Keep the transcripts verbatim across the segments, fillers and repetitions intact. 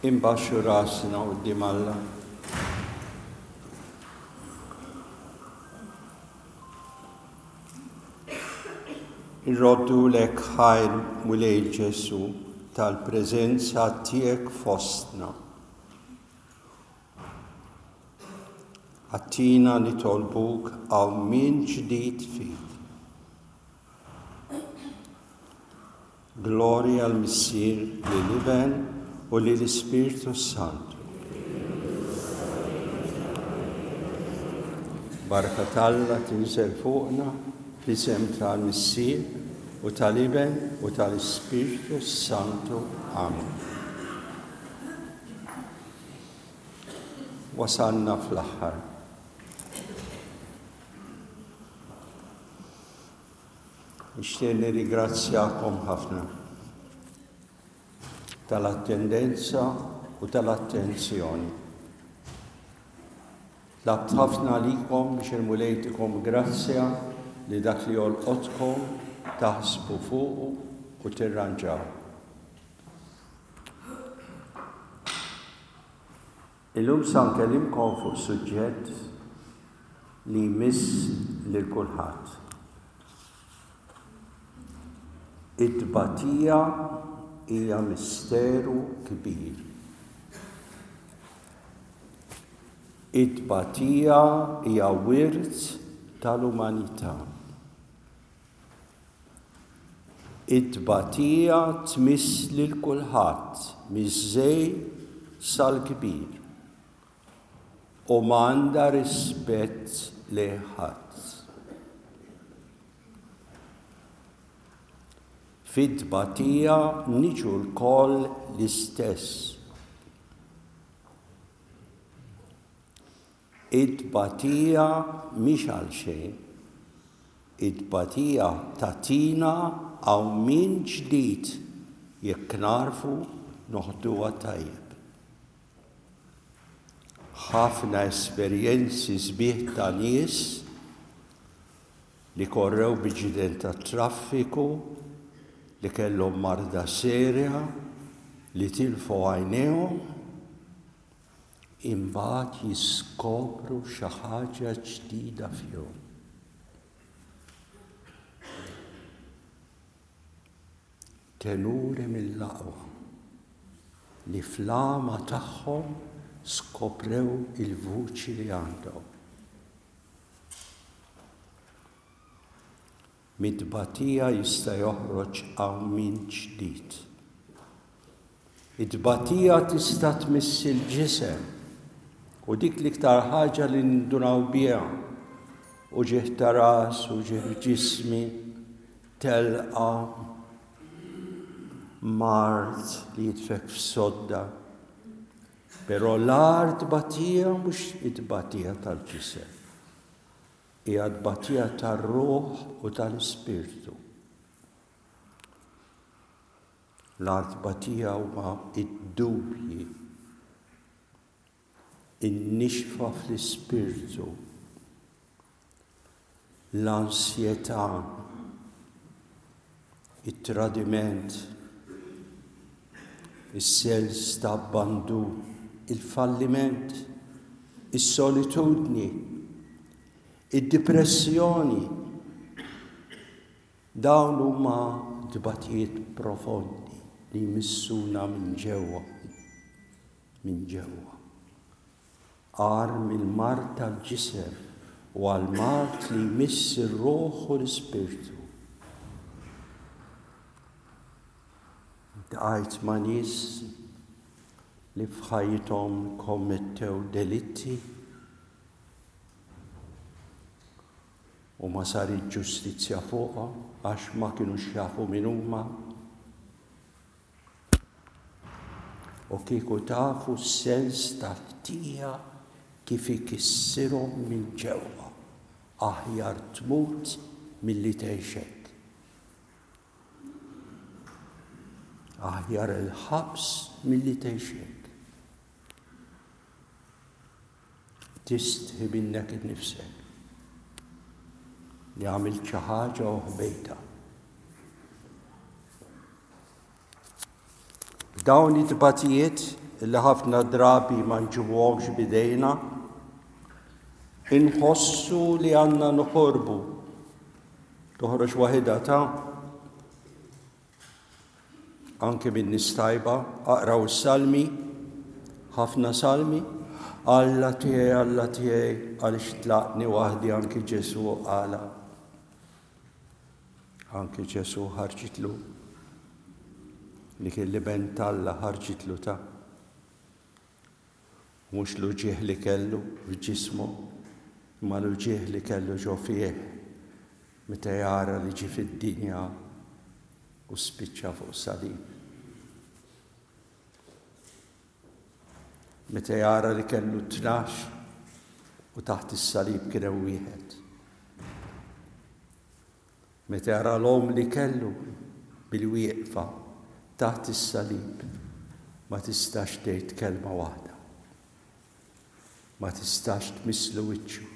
Imbaxxu rasna quddiem Alla. Irroddulek ħajr, Mulej Ġesu, tal-preżenza tiegħek fostna. Għattina nitolbuk qawmien ġdid fik. Glorja l-Missier, lill-Iben u lill-Ispirtu Santu. Barka t'Alla tinżel fuqna fl-isem tal-Missier u tal-Iben u tal-Ispirtu Santu. Amen. Wasalna fl-aħħar. Nixtieq nirringrazzjakom ħafna tal-attendenza u tal-attenzjoni. Tlabt ħafna għalikom biex il-Mulej jtikom grazzja li dak li jolqotkom taħsbu fuqu u tirranġaw. Illum sa nkellimkom fuq suġġett li jmiss lil kulħadd. It-tbatija hija misteru kbir. It-tbatija hija wirt tal-umanità. It-tbatija tmiss lil kulħadd miż-żgħir sal-kbir u m'għandha rispett lejn ħadd. Fit-tbatija niġu lkoll l-istess. It-tbatija mhix għal xejn. It-tbatija tagħtina qawmien ġdid jekk narfu noħduha tajjeb. Ħafna esperjenzi sbieħ ta' nies li korrew b'inċident tat-traffiku, li kellhom marda serja, li tilfu għajnejhom, imbagħad jiskopru xi ħaġa ġdida fihom. Tenuri mill-aqwa li fl-għama tagħhom skoprew il-vuċi li għandhom. Mit-tbatija jista' joħroġ qawmien ġdid. It-tbatija tista' tmiss il-ġisem u dik l-iktar ħaġa li nindunaw biha, uġigħ ta' ras, uġigħ f'ġismi, telqa, mard li jitfek f'sodda. Però l-agħar tbatija mhux it-tbatija tal-ġisem, hija tbatija tar-ruħ u tal-ispirtu. L-agħar tbatija huma id-dubji, in-nixfa fl-ispirtu, l-ansjetà, it-tradiment, is-sens ta' abbandun, il-falliment, is-solitudni, id-depressjoni. Dawn huma tbatijiet profondi li jmissuna minn ġewwa, minn ġewwa. Agħar mill-mard tal-ġisem u għall-mard li jmiss ir-ruħ u l-ispirtu. Iltqajt ma' nies li f'ħajjithom kommettew delitti u ma sarit ġustizzja fuqhom għax ma kinux jafu min huma. U kieku tafu s-sens tal-ħtija kif ikissirhom minn ġewwa, aħjar tmut milli tgħix hekk. Aħjar il-ħabs milli tgħix hekk. Tistħi minnek innifsek li għamilt xi ħaġa u ħbejtha. B'dawn it-tbatijiet li ħafna drabi ma nġibuhomx bidejna, inħossu li għandna noħorbu. Toħroġ waħidha ta' anke minn nies tajba, aqraw is-salmi, ħafna salmi, Alla tiegħi, Alla tiegħi, għaliex tlaqtni waħdi, anki Ġesù qala. Anki Ġesù ħarġitlu li kien l-Iben t'Alla ħarġitlu ta' mhux l-uġigħ li kellu f'ġismu, imma l-uġigħ li kellu ġo fih meta jara li ġie fid-dinja u spiċċa fuq salib. Meta jara li kellu tnax u taħt is-salib kien hemm wieħed. Meta jara l-omm li kellu bil-wieqfa taħt is-salib ma tistax tgħid kelma waħda. Ma tistax tmisslu wiċċu.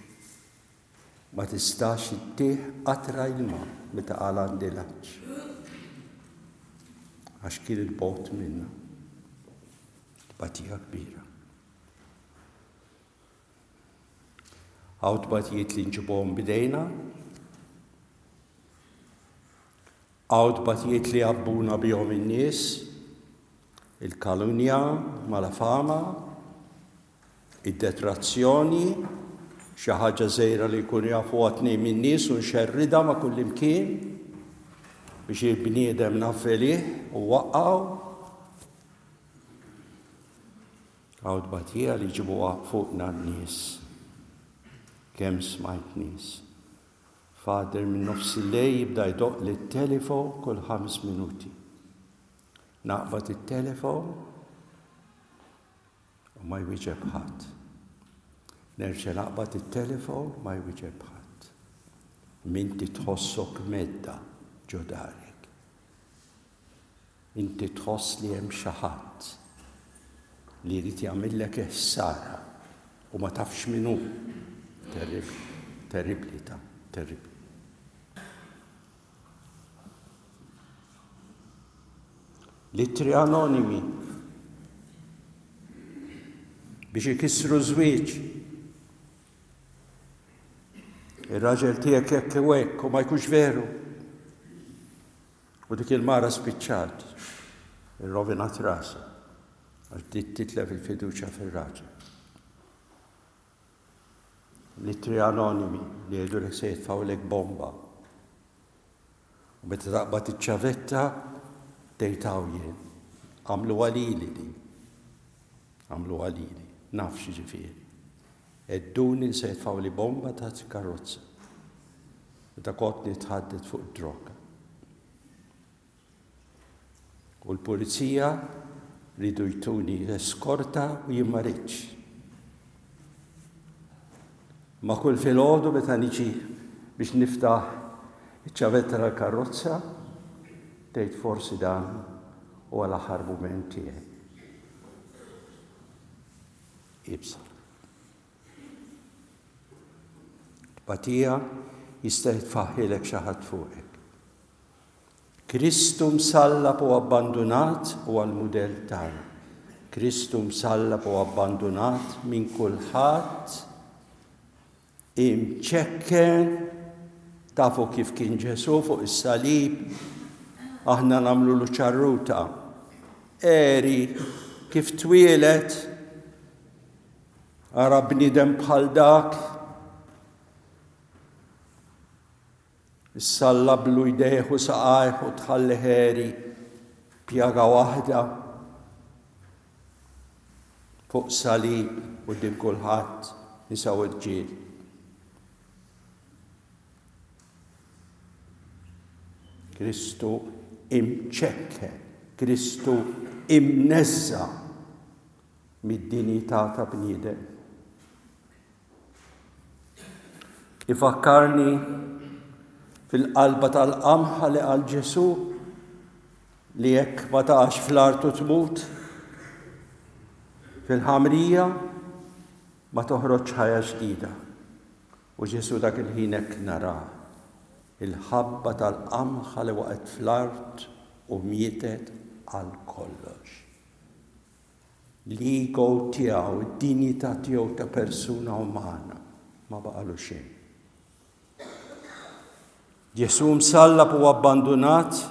Ma tistax ittih qatra ilma meta qal għandi l-għatx. Għax kien il-bogħod minna. Tbatija kbira. Hawn tbatijiet li nġibuhom bidejna, hawn tbatijiet li għabbuna bihom in-nies, il-kalunja, malafama, id-detrazzjoni, xi ħaġa żgħira li jkunu jafuha tnejn min-nies u nxerridha ma' kullimkien biex il-bniedem navvelih u waqqgħu. Hawn tbatija li jġibuha fuqna n-nies. Kemm smajt nies. Father minn nofs il-lejl jibda jdoqq lit-telefon kull ħames minuti. Naqbad it-telefon u ma jwieġeb ħadd. Nerġa' naqbad it-telefon ma jwieġeb ħadd. Minti tħossok medda ġo darek. Inti tħoss li hemm xi ħadd li jrid jagħmillek ħsara u ma tafx min hu. Terribli, terribli ta' terribli. L-ittri anonimi biex ikissru żwieġ. Ir-raġel tiegħek hekk u hekk u ma jkunx veru. U dik il-mara spiċċat, irrovinat rasha għax bdiet titlef il-fiduċja fir-raġel. L-ittri anonimi li jgħidulek se jitfgħulek bomba. U meta taqbad iċ-ċavetta tgħid hawn jien. Għamlu għalili din. Għamlu għalili. Naf x'jiġifieri. Edduni se jitfgħuli bomba taħt karozza. Meta kont nitħadded fuq id-droga. U l-pulizija ridu jtuni eskorta u jien ma ridtx. Ma kull filgħodu meta niġi biex niftaħ iċ-ċavetta tal-karozza, tgħid forsi dan huwa l-aħħar mument tiegħi. Ibsa. Tbatija jista' jitfaħħilek xi ħadd fuqek. Kristu msallab u abbandunat huwa l-mudell tagħna. Kristu msallab u abbandunat minn kulħadd, imċekken, tafu kif kien Ġesù fuq is-salib, aħna nagħmlu ċarruta. Eri kif twieled, ara bniedem bħal dak, issallablu jdejh u saqajh u tħalli ħeri pjaga waħda fuq salib u din kulħadd nisa u rġiel. Kristu imċekke, Kristu imneżża mid-dinjità ta' bniedem. Ifakkarni fil-qalba tal-qamħa li qal Ġesù li jekk ma taqax fl-art u tmut fil-ħamrija ma toħroġ ħajja ġdida. U Ġesù dak il-ħin hekk nara il-ħabba tal-qamħa li waqgħet fl-art u mietet għal kollox. L-ego tiegħu, id-dinjità tiegħu ta' persuna umana ma baqalu xejn. Ġesù msallab u abbandunat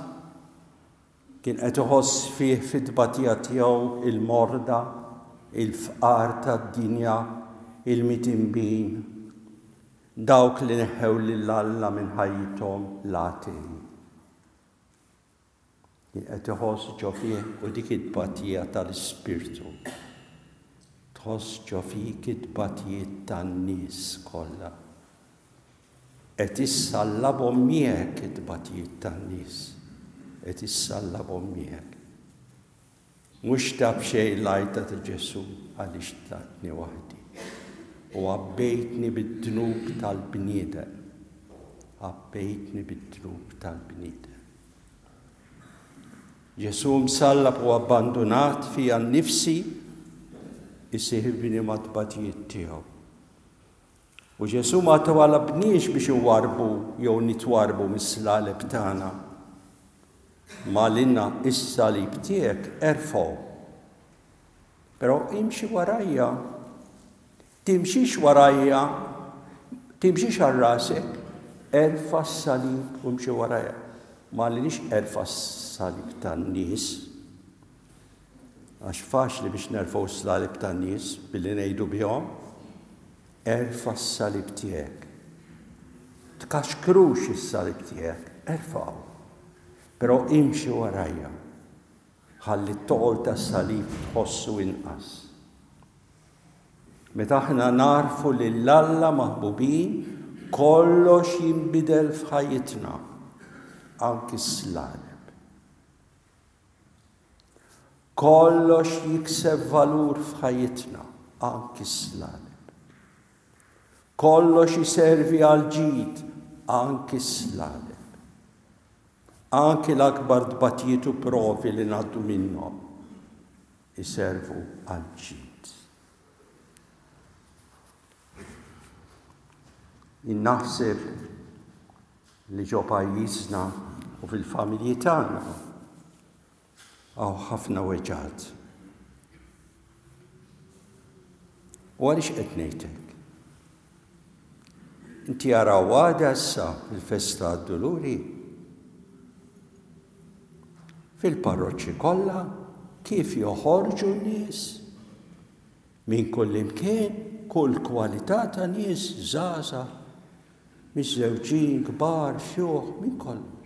kien qed iħoss fih fit-tbatija tiegħu il-morda, il-fqar tad-dinja, il-mitinbin, dawk li neħħew lil Alla minn ħajjithom l-atei. Kien qed iħoss ġo fih u dik it-tbatija tal-Ispirtu. Tħoss ġo fik it-tbatijiet tan-nies kollha. Qed issallabhom miegħek it-tbatijiet tan-nies. Qed issallabhom miegħek. Mhux ta' b'xejn l-għajta ta' Ġesù għaliex tlaqtni waħdi. U għabbejtni bid-dnub tal-bniedem. Għabbejtni bid-dnub tal-bniedem. Ġesù msallab u abbandunat fija nnifsi isieħibni mat-tbatijiet tiegħu. U Ġesù ma talabniex biex inwarrbu jew nitwarrbu mis-slaleb tagħna. Ma qalilna is-salib tiegħek erfgħu. Però imxi warajja. Timxix warajja, timxix għal rasek, erfa' s-salib u imxi warajja. Ma qalilniex erfa' s-salib tan-nies. Għax faċli biex nerfgħu s-salib tan-nies billi ngħidu bihom. Erfa' s-salib tiegħek. Tkaxkrux is-salib tiegħek, erfgħu. Però imxi warajja. Ħalli t-toqol tas-salib tħossu inqas. Meta aħna narfu lil Alla maħbubin, kollox jinbidel f'ħajjitna, anki s-slaleb. Kollox jikseb valur f'ħajjitna, anki s-slaleb. Kollox jiservi għal ġid, anki s-slaleb. Anki l-akbar tbatijiet u provi li ngħaddu minnhom iservu għal ġid. Naħseb li ġo pajjiżna u fil-familji tagħna hawn ħafna weġgħat. U għaliex qed ngħidlek? Inti araw għada issa fil-festa għad-Duluri. Fil-parroċċi kollha kif joħorġu n-nies minn kull imkien, kull kwalità ta' nies, żgħażagħ, miżżewġin, kbar, xjuħ, minn kollox.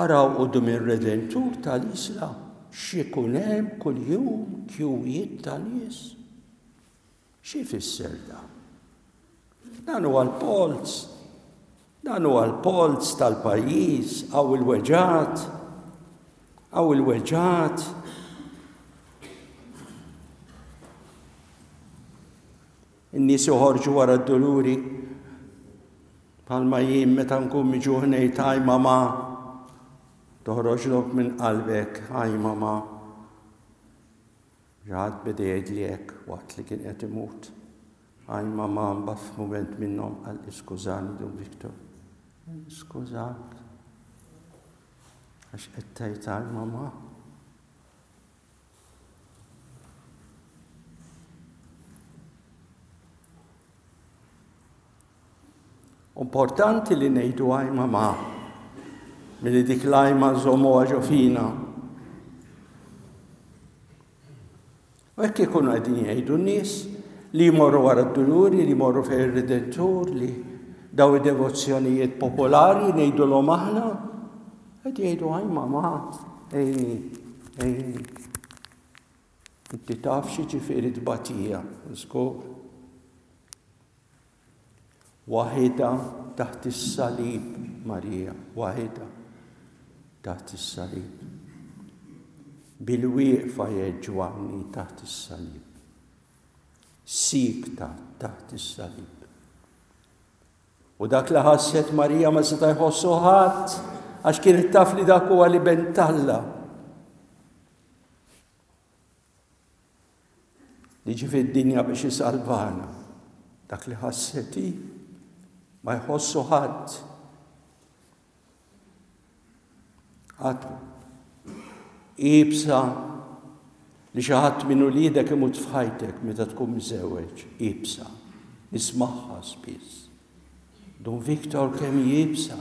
Araw quddiem ir-Redentur tal-Isla x'ikun hemm kuljum kjuwijiet ta' nies. Xi jfisser dan? Dan huwa l-polz. Dan huwa l-polz tal-pajjiż, hawn il-weġgħat, hawn il-weġgħat. In-nies joħorġu wara d-duluri bħalma jien meta nkun miġuħ ngħid aj mama, toħroġlok minn qalbek aj mama. Ġaħat beda jgħidli hekk waqt li kien qed imut. Aj mama, mbagħad f'mument minnhom qal iskużani Dun Victor. Skużak. Għax qed tgħid aj mama. Importanti li ngħidu aj mama, milli dik l-għajma nżommuha ġo fina. U hekk ikunu qegħdin jgħidu n-nies li jmorru wara d-duluri, li jmorru fejn ir-Redentur, li daw id-devozzjonijiet popolari ngħidulhom aħna, qed jgħidu aj mama, ejni, ejni. Inti taf xi ġifieri tbatija, żgur. Waħida taħt is-salib, Marija, waħida taħt is-salib. Bil-wieqfa jgħid Ġwanni taħt is-salib. Sikta taħt is-salib. U dak li ħasset Marija ma seta' jħossu ħadd, għax kienet taf li dak huwa l-Iben t'Alla. Li ġie fid-dinja biex isalvana. Dak li ħasset hi ma jħossu ħadd. Qatt Iebsa li xi ħadd minn uliedek imut f'ħajtek meta tkun miżewweġ, iebsa. Nismagħha spiss. Dun Victor kemm iebsa.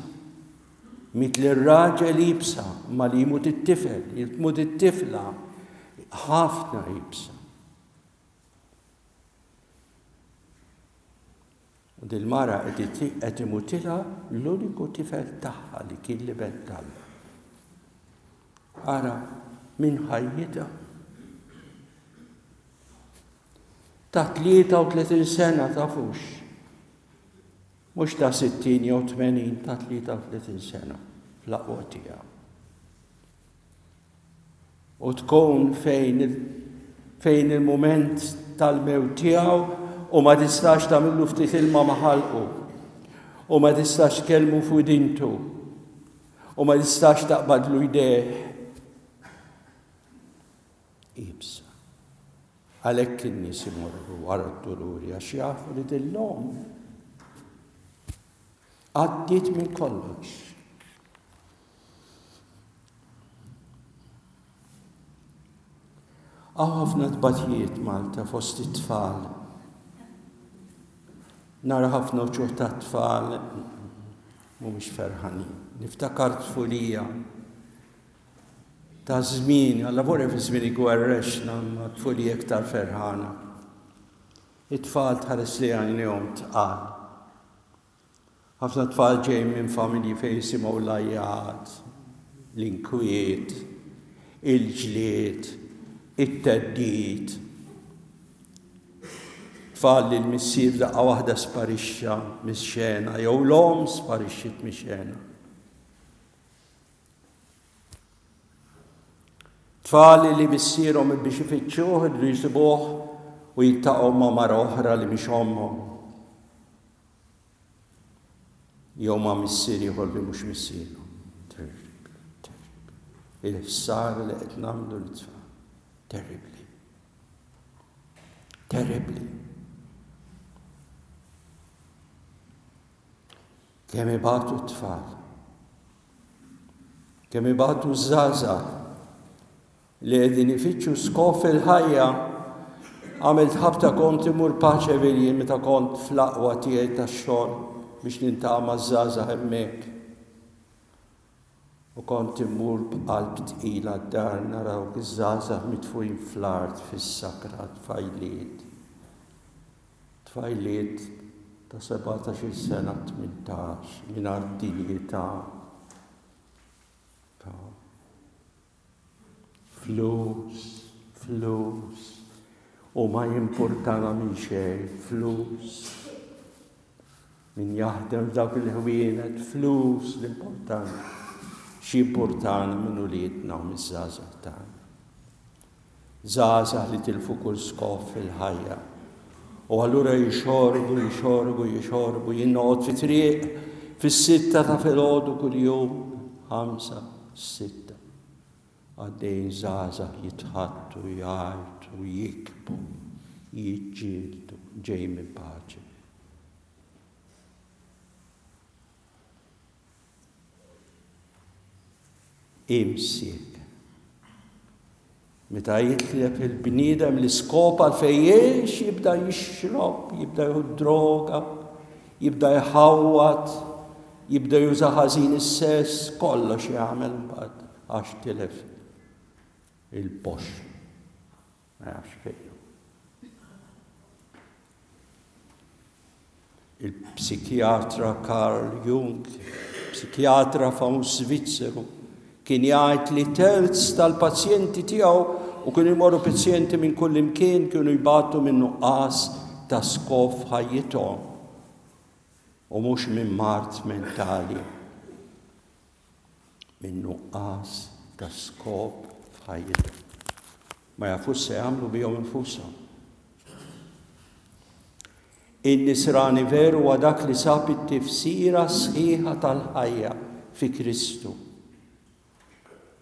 Miet lir-raġel iebsa, ma li jmut it-tifel, jmut it-tifla, ħafna iebsa. U dil-mara qed imutilha l-uniku tifel tagħha li kien l-iben t'Alla. Ara minn ħajjitha. Ta' tlieta u tletin sena tafux. Mhux ta' sittin jew tmenin, ta' tlieta u tletin sena fl-aqwa tiegħu. U tkun fejn fejn il-mument tal-mewt tiegħu u ma tistax tagħmillu ftit ilma ma' ħalqu u ma tistax tkellmu fuq dintu u ma tistax taqbadlu jdejh. Iebsa. Għalhekk in-nies imorru wara d-duluri għax jafu li dillhom għaddiet minn kollox. Hawn ħafna tbatijiet Malta fost it-tfal. Nara ħafna uċuħ ta' tfal mhumiex ferħanin. Niftakar tfulija ta' żmien, alla vorja fi żmien igwerrexna ma' tfulija iktar ferħana. It-tfal tħares li għajnejhom tqal. Ħafna tfal ġejjin minn familji fejn jisimgħu l-għajjat, l-inkwiet, il-ġlied, it-theddid. Tfal li l-missier daqqa waħda sparixxa mix-xena jew l-omm sparixxiet mix-xena. Tfal li missierhom biex ifittxuh iridu jsibuh u jiltaqgħu ma' mara oħra li mhix ommhom. Jew ma' missier ieħor li mhux missierhom. Terribli, terribli. Il-ħsara li qed nagħmlu lit-tfal. Terribli. Terribli. Kemm ibatu t-tfal. Kemm ibatu ż-żgħażagħ li qegħdin ifittxu skop fil-ħajja. Għamilt ħabta kont imur Paċeville jien meta kont fl-aqwa tiegħi tax-xogħol biex nintaqa' maż-żgħażagħ hemmhekk. U kont immur b'qalb tqila d-dar nara dawk iż-żgħażagħ mitfugħin fl-art fis-sakra, tfajliet. Tfajliet ta' sebatax-il sena, tmintax, mingħajr dinjità. Ta' flus, flus, u ma jimpurtana minn xejn, flus. Min jaħdem f'dawk il-ħwienet, flus l-importanti. X'jimpurtana minn uliedna u miż-żgħażagħ tagħna. Żgħażagħ li tilfu kull skop fil-ħajja. U allura jixorbu, jixorbu, jixorbu, jien noqgħod fi triq fis-sitta ta' filgħodu kuljum, ħamsa, sitta. Għaddejjin żgħażagħ jitħattu, jgħajtu, jikbu, jiġġieldu, ġejjin minn paċi. Imsiek. Meta jitlef il-bniedem l-iskop għalfejn jgħix, jibda jixrob, jibda jieħu droga, jibda jħawwad, jibda juża ħażin is-sess, kollox jagħmel mbagħad għax tilef il-pox. Ma jafx fejn. Il-psikjatra Carl Jung, psikjatra famuż Svizzeru, kien jgħid li terz tal-pazjenti tiegħu, u kienu jmorru pazjenti minn kull imkien, kienu jbatu minn nuqqas ta' skop f'ħajjithom u mhux minn mard mentali, minn nuqqas ta' skop f'ħajjithom. Ma jafux se jagħmlu bihom infushom. In-nisrani veru huwa dak li sab it-tifsira sħiħa tal-ħajja fi Kristu.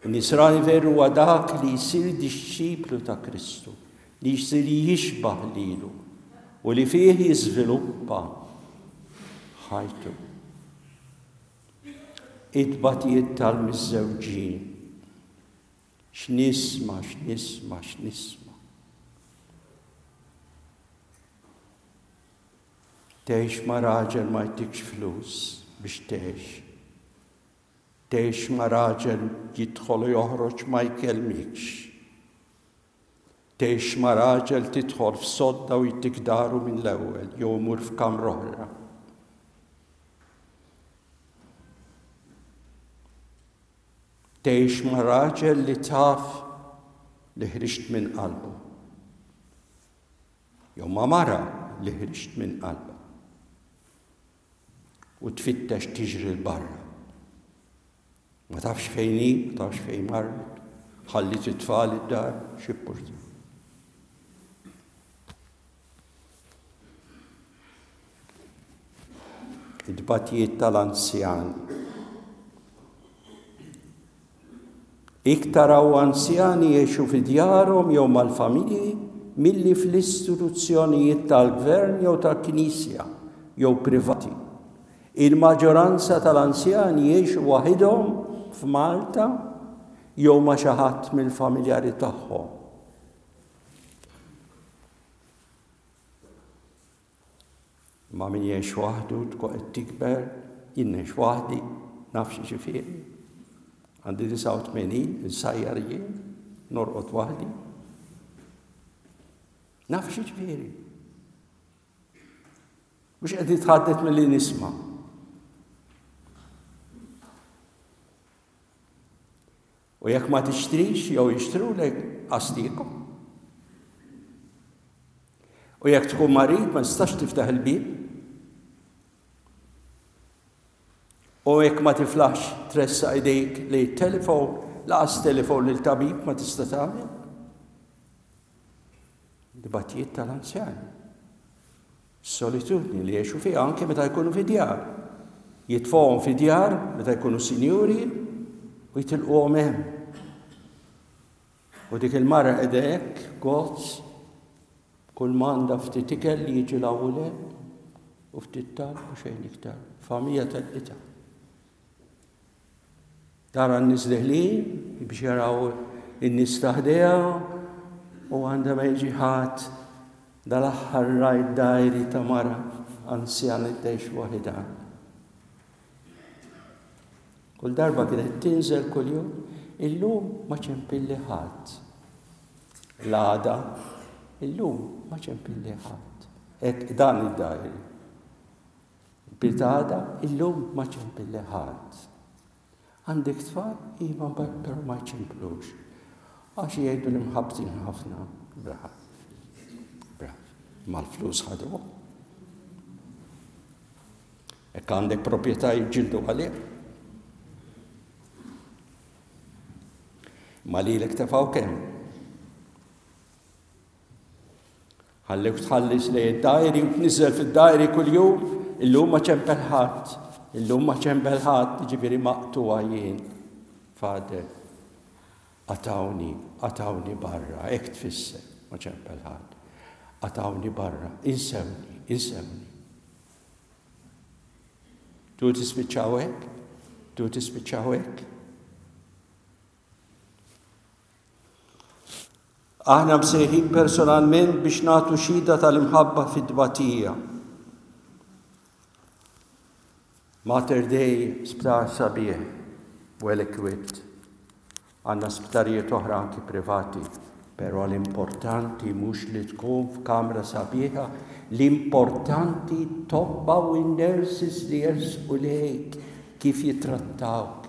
In-nisrani veru huwa dak li jsir dixxiplu ta' Kristu, li jsir jixbah lilu u li fih jiżviluppa ħajtu. It-tbatijiet tal-miżżewġin. X'nisma', x'nisma', x'nisma'. Tgħix ma' raġel ma jtikx flus biex tgħix. Tgħix ma' raġel jidħol u joħroġ ma jkellmikx. Tgħix ma' raġel tidħol f'sodda u jtik daru minn l-ewwel jew imur f'kamra oħra. Tgħix ma' raġel li taf li ħriġt minn qalbu. Jew ma' mara li ħriġt minn qalbu. U tfittex tiġri 'l barra. Ma tafx fejn hi, ma tafx fejn marret, ħallit it-tfal id-dar, x'ippurta. It-tbatijiet tal-anzjani. Iktar hawn anzjani jgħixu fi djarhom jew mal-familji milli fl-istituzzjonijiet tal-gvern jew tal-knisja jew privati. Il-maġġoranza tal-anzjani jgħixu waħidhom f'Malta jew ma' xi ħadd mill-familjari tagħhom. Ma min jgħix waħdu tkun qed tikber, jien ngħix waħdi, naf xi ġifieri. Għandi disgħa u tmenin, insajjar jien, norqod waħdi. Naf xi ġifieri. Mhux qed nitħaddet milli nisma'. U jekk ma tixtrix jew jixtrulek qastiekom. U jekk tkun marid ma tistax tiftaħ il-bieb. U jekk ma tiflaħx tressaq idejk li telefon, laqas telefon lil tabib ma tista' tagħmel. Dibattijiet tal-anzjani. Solitudni li jgħixu fiha anke meta jkunu fi djar. Jitfgħuhom fi djar meta jkunu sinjuri u jitilquhom hemm. U dik il-mara qiegħda hekk, gozz, kull m'għandha ftit ikel li jiġi l-ewwel hemm u ftit talb u xejn iktar. Familja telqitha. Tara n-nies deħlin biex jaraw in-nies ta' ħdejha u għandha ma jiġi ħadd. Dal-aħħar rajt dajri ta' mara anzjana tgħix waħidha. Kull darba kienet tinżel kuljum, illum ma ċempilli ħadd. L-għada, illum ma ċempilli ħadd. Hekk dan id-dajri. Bitada, illum ma ċempilli ħadd. Għandek tfal, iva, però ma jċemplux. Għax jgħidu li mħabbtin ħafna. Brav. Brav. Mal-flus ħadu. Hekk għandek proprjetà jiġġieldu għalih. Ma lilek tefgħu kemm? Ħallewk tħallis lejn id-dajri u tniżel fid-dajri kuljum, illum ma ċempel ħadd, illum ma ċempel ħadd, jiġifieri maqtugħa jien. Fader, qatgħuni, qatgħuni barra, hekk tfisser, ma ċempel ħadd. Qatgħuni barra, insewni, insewni. Tu tispiċċaw hekk? Tu tispiċċaw hekk? Aħna msejħin personalment biex nagħtu xhieda tal-imħabba fit-tbatija. Mater Dei sptar sabiħ, well equipped. Għandna sptarijiet oħra anki privati, però l-importanti mhux li tkun f'kamra sabiħa, l-importanti tobba u n-nurses li jersqu lejk kif jittrattawk.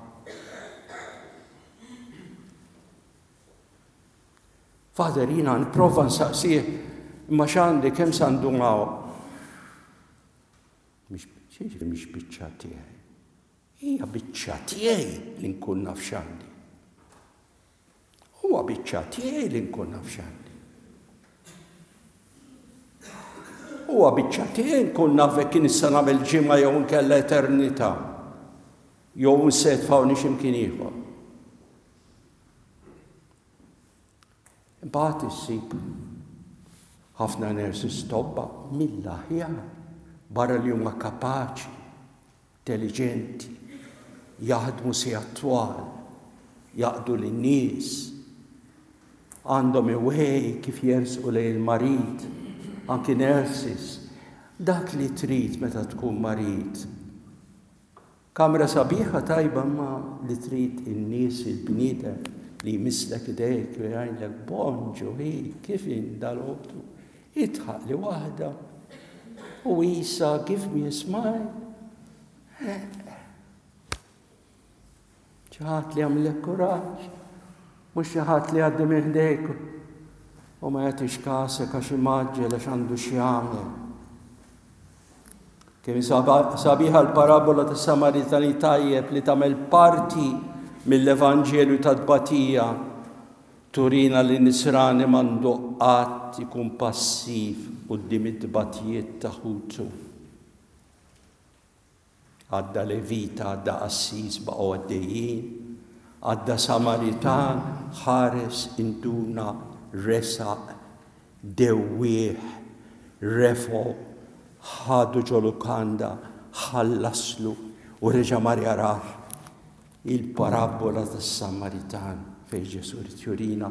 Father, jiena nipprova nsaqsih imma x'għandi kemm sa ndum hawn. Mhix mhix biċċa tiegħi. Hija biċċa tiegħi li nkun naf x'għandi. Huwa biċċa tiegħi li nkun naf x'għandi. Huwa biċċa tiegħi nkun naf jekk kien issa nagħmel ġimgħa jew nkella eternità. Jew se jitfgħuni x'imkien ieħor. Imbagħad issib ħafna nurses tobba mill-aħjar barra li huma kapaċi, intelligenti, jaħdmu sigħat twal, jaqdu lin-nies. Għandhom iwej kif jersqu lejn il-marid, anki nurses. Dak li trid meta tkun marid. Kamra sabiħa tajba ma li trid in-nies il-bniedem li jmisslek idejk u jgħidlek bonġu hi kif int dalgħodu. Idħaq li waħda u isa give me a smile. Xi ħadd li jagħmlek kuraġġ, mhux xi ħadd li jgħaddi minn ħdejk u ma jagħtix kasek għax imgħaġġel għax għandu x'jagħmel. Kemm sabiħa l-parabola tas Samaritani tajjeb li tagħmel parti mill-Evanġelju ta' tbatija turina li nisrani m'għandu qatt ikun passiv quddiem it-tbatijiet ta' ħutu. Għadda Levita, għadda qassis baqgħu għaddejjin, għadda Samaritan, ħares induna, resaq, dewwieħ, refgħu, ħadu ġo lukanda, ħallaslu u reġa' mar jarah. Il-parabola tas-Samaritan fejn Ġesù jrid jurina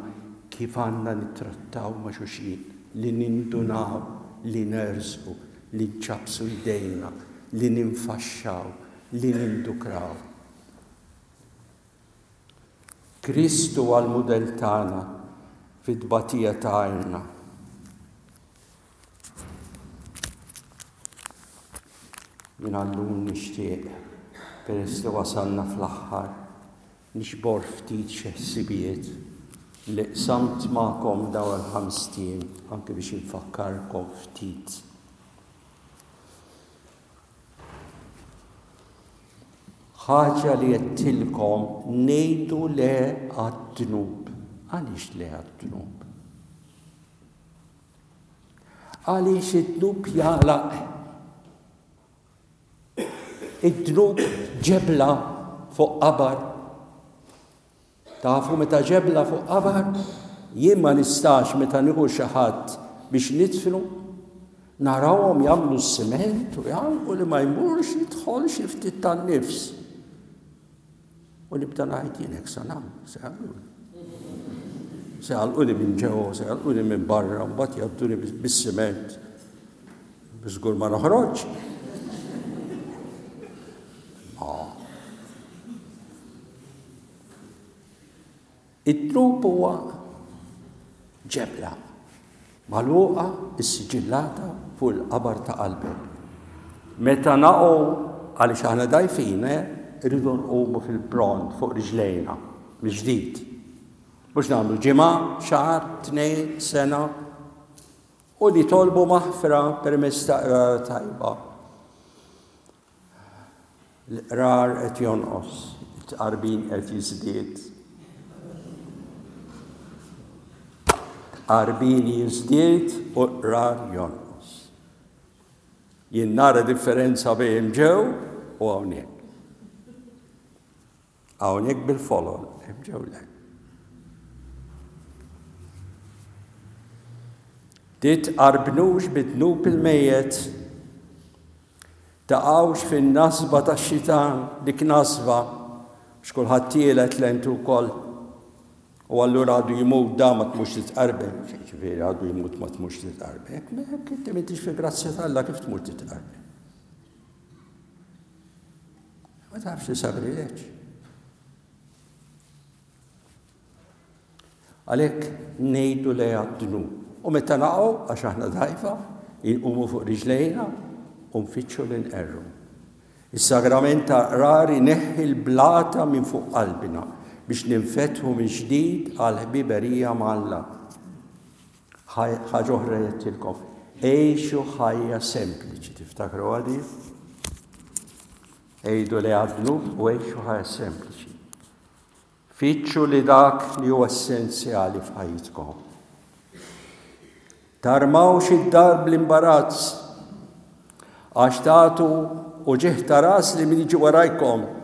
kif għandna nittrattaw ma' xulxin, li nindunaw, li nersqu, li nċappsu jdejna, li ninfaxxaw, li nindukraw. Kristu huwa l-mudell tagħna fit-tbatija tagħna. Jien għallum nixtieq, peress li wasalna fl-aħħar, nixbor ftit xi ħsibijiet li qsamt magħkom dawn il-ħamest ijiem anke biex infakkarkom ftit. Ħaġa li għedtilkom ngħidu le għad-dnub. Għaliex le għad-dnub? Għaliex id-dnub jagħlaq. Id-dnub ġebla fuq qabar. Tafu meta ġebla fuq qabar, jien ma nistax meta nieħu xi ħadd biex nidfnu, narawhom jagħmlu s-siment u jagħlqu li ma jmurx jidħol xi ftit tan-nifs. U nibda ngħid jien hekk sa nagħmel, se jagħmluli. Se jagħlquni minn ġewwa, se jagħlquni minn barra, mbagħad jgħadduni bis-siment. Żgur ma noħroġ. Id-dnub huwa ġebla magħluqa issiġillata fuq il-qabar ta' qalbek. Meta naqgħu għaliex aħna dgħajfin, eh, irridu nqumu fil-pront fuq riġlejna mill-ġdid. Mhux nagħmlu ġimgħa, xahar, tnejn, sena u nitolbu maħfra permezz ta' qrar tajba. L-qrar qed jonqos, it-tqarbin qed jiżdied. Tqarbin jiżdied u qrar jonqos. Jien nara differenza bejn ġew u hawnhekk. Hawnhekk bil-folol, hemm ġew le. Titqarbnux bid-dnub il-mejjet, taqgħux fin-nasba tax-xitan, dik nasba, x'kulħadd tielet lentu wkoll. U allura għadu jmut da ma tmux titqarben. Ġifieri għadu jmut ma tmux titqarben. Hekk inti m'intix fil-grazzja t'Alla kif tmur titqarben? Ma tafx li sagrileġġ. Għalhekk ngħidu le għad-dnub. U meta naqgħu, għax aħna dgħajfa, inqumu fuq riġlejna u nfittxu li nqerru. Is-sagrament ta' qrar ineħħi l-blata minn fuq qalbna biex ninfetħu mill-ġdid għal ħbiberija ma' Alla. Ħaġa oħra jgħidtilkom, għixu ħajja sempliċi, tiftakru għadi? Għidu li għad-dnub u għixu ħajja sempliċi. Fittxu li dak li huwa essenzjali f'ħajjitkom. Tarmawx id-dar bl-imbarazz, għax tagħtu uġigħ ta' ras li min jiġi warajkom.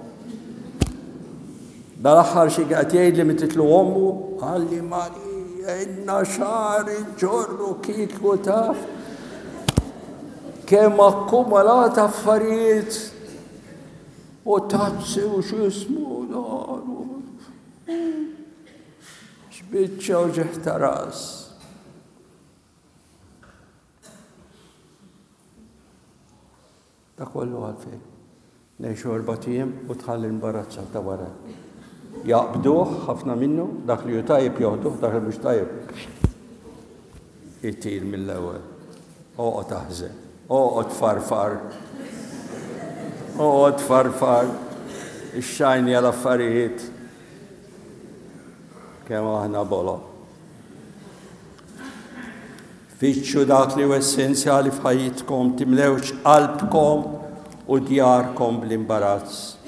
Dal-aħħar xi qed jgħid li mititlu ommu, qalli Marija, inna xahar inġorru kieku taf kemm akkumulat affarijiet u tazzi u x'ismu dan. X'biċċa uġigħ ta' ras. Da kollu għalfejn. Ngħixu erbat ijiem u tħalli l-imbarazz ta' wara. Jaqbduh ħafna minnu, dak li hu tajjeb joħduh, dak li mhux tajjeb itir mill-ewwel. Oqgħod aħżen, oqgħod farfar. Oqgħod farfar. Ix-xajni għal affarijiet. Kemm aħna bolo. Fittxu dak li hu essenzjali f'ħajjitkom, timlewx qalbkom u djarkom bl-imbarazz.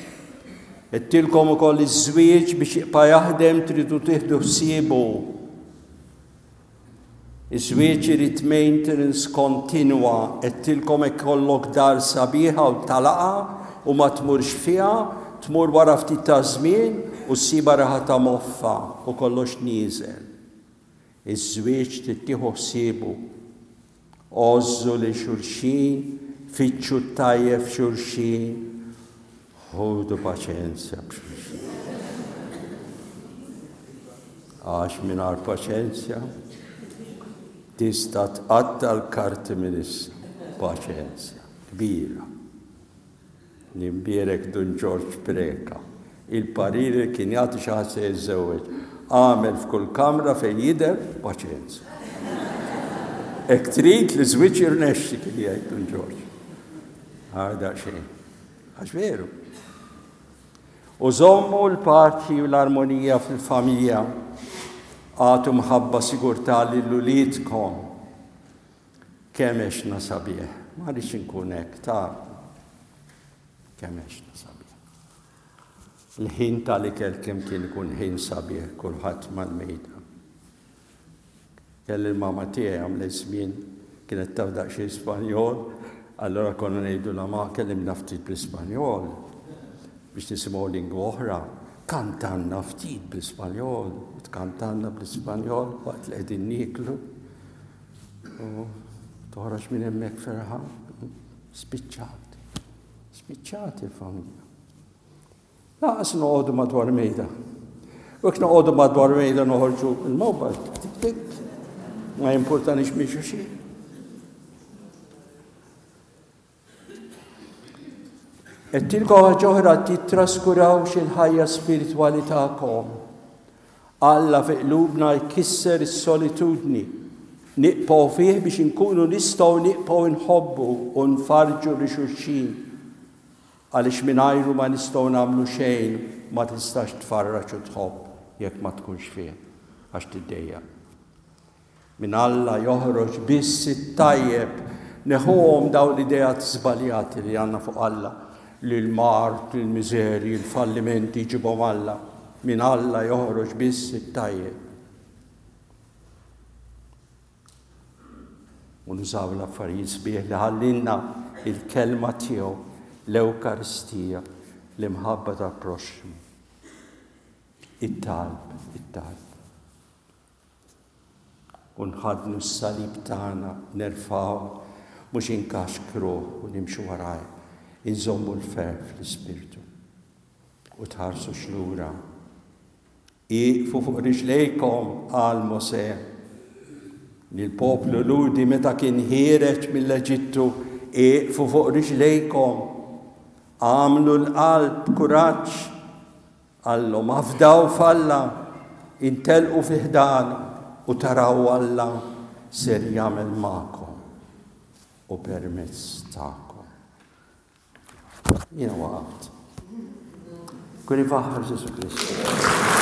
Għedtilkom ukoll iż-żwieġ biex jibqa' jaħdem tridu tieħdu ħsiebu. Iż-żwieġ irid maintenance kontinwa. Għedtilkom hekk ikollok dar sabiħa u talaqa u ma tmurx fiha, tmur wara ftit ta' żmien u ssibha raħa ta' moffa u kollox nieżel. Iż-żwieġ trid tieħu ħsiebu. Għożżu lil xulxin, fittxu t-tajjeb f'xulxin, ħudu paċenzja b'xulxin. Għax mingħajr paċenzja tista' tqatta' l-karti minn issa. Paċenzja kbira. L-imbierek Dun Ġorġ Preca. Il-parir li kien jagħti xi ħadd se jiżżewweġ. Agħmel f'kull kamra fejn jidher paċenzja. Hekk trid li żwieġ jirnexxi kien jgħid Dun Ġorġ. Għar daqsxejn. Għax veru. U żommu l-paċi u l-armonija fil-familja. Agħtu mħabba sigurtà lil uliedkom. Kemm għexna sabiħ. Ma rridx inkun hekk, ta' kemm għexna sabiħ. Il-ħin tal-ikel kemm kien ikun ħin sabiħ, kulħadd mal-mejda. Kelli l-mama tiegħi għamlet żmien kienet taf daqsxejn Spanjol, allura konna ngħidu la ma kellimna ftit bl-Ispanjol biex nisimgħu lingwa oħra. Kantanna ftit bl-Ispanjol, u tkantanna bl-Ispanjol waqt li qegħdin nieklu. U toħroġ minn hemmhekk ferħan. Spiċċat. Spiċċat il-familja. Laqas noqogħdu madwar mejda. U jekk noqogħdu madwar mejda noħorġu il-mobile, tik tik, ma jimpurtanix minn xulxin. Għedtilkom ħaġa oħra, tittraskurawx il-ħajja spiritwali tagħkom. Alla fi qlubna jkisser is-solitudni. Nibqgħu fih biex inkunu nistgħu nibqgħu nħobbu u nfarġu li xulxin. Għaliex mingħajru ma nistgħu nagħmlu xejn, ma tistax tfarraġ u tħobb jekk ma tkunx fih, għax tiddejjaq. Minn Alla joħroġ biss it-tajjeb. Neħuhom dawn l-ideat żbaljati li għandna fuq Alla, li l-mard, il-miżerji, il-fallimenti jġibhom Alla. Minn Alla joħroġ biss it-tajjeb. U nużaw l-affarijiet sbieħ li ħallinna il-kelma tiegħu, l-Ewkaristija, l-imħabba tal-proxxmu. It-talb, it-talb. U nħaddnu s-salib tagħna, nerfgħu, mhux inkaxkruh u nimxu waraj, inżommu l-ferħ fl-ispirtu. U tħarsux lura. Ieqfu fuq riġlejkom, qal Mosè. Lill-poplu Lhudi meta kien ħiereġ mill-Eġittu, ieqfu fuq riġlejkom. Għamlu l-qalb kuraġġ. Qallhom, afdaw f'Alla, intelqu fi ħdan u taraw Alla ser jagħmel magħkom u permezz tagħkom. Jiena waqaft. Kun ifaħħar Ġesù Kristu.